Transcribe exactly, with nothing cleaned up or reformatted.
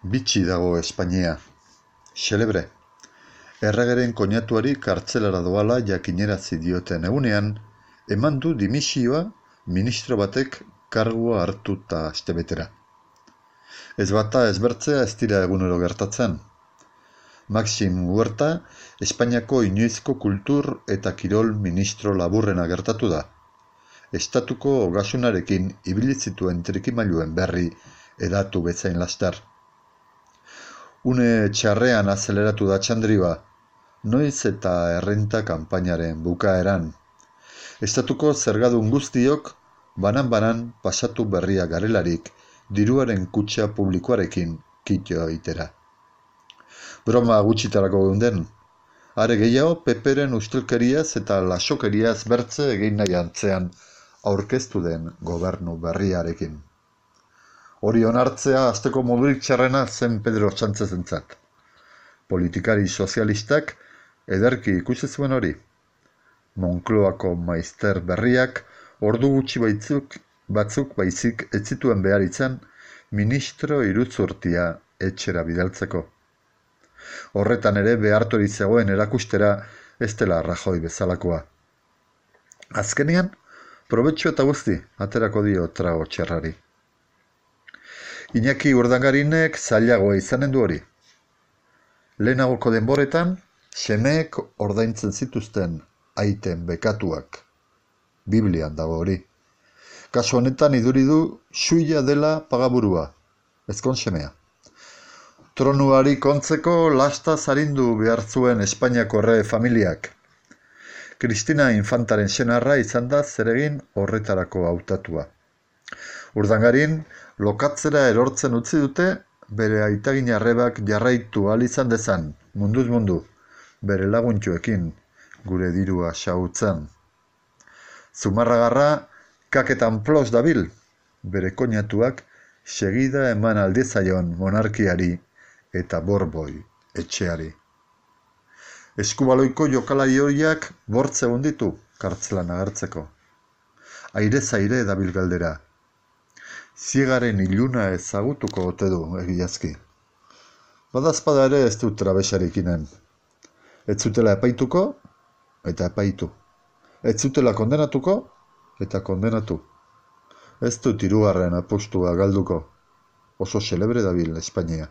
Bitxi dago Espainia. Xelebre. Erregeren koinatuari kartzelara doala jakinerazi dioten egunean, eman du dimisioa ministro batek kargua hartuta astebetera. Ez bata ez bertzea ez dira egunero gertatzen. Maxim Huerta, Espainiako inoizko kultur eta kirol ministro laburrena gertatu da. Estatuko ogasunarekin ibili zituen trikimailuen berri edatu bezain laster. Une txarrean azeleratu da txandriba, noiz eta errenta kanpainaren bukaeran. Estatuko zergadun guztiok banan-banan pasatu berria garelarik diruaren kutxa publikoarekin kito egitera. Broma gutxitarako geunden, are gehiago peperen ustelkeriaz eta lasokeriaz bertze egin nahi antzean aurkeztu den gobernu berriarekin. Hori onartzea azteko modurik txarrena zen Pedro Sánchezentzat. Politikari sozialistak ederki ikusi zuen hori. Moncloako maizter berriak ordu gutxi baitzuk, batzuk baizik ez zituen behar izan ministro iruzurtia etxera bidaltzeko. Horretan ere behartori zegoen erakustera ez dela Rajoy bezalakoa. Azkenean, probetxu eta guzti aterako dio trago txerrari. Iñaki Urdangarinek zailagoa izanen du hori. Lehenagoko denboretan, semeek ordaintzen zituzten aiten bekatuak. Biblian dago hori. Kasu honetan iduri du suia dela pagaburua, ezkon semea. Tronuari kontzeko lasta zarindu behar zuen Espainiako errege familiak. Kristina Infantaren senarra izan da zeregin horretarako hautatua. Urdangarin lokatzera erortzen utzi dute bere aitagin arrebak jarraitu ahal izan dezan, munduz mundu, bere laguntxoekin gure dirua xahutzen. Zumarragarra kaketan plos dabil, bere koinatuak segida eman aldezaion monarkiari eta borboi etxeari. Eskubaloiko jokalari horiak bortze honditu kartzelan agertzeko. Aire zaire dabil galdera. Ziegaren iluna ezagutuko ote du egiazki. Badazpada ere ez dut trabesarekinen. Ez zutela epaituko eta epaitu. Ez zutela kondenatuko eta kondenatu. Ez dut hirugarren apustua galduko. Oso xelebre dabil Espainia.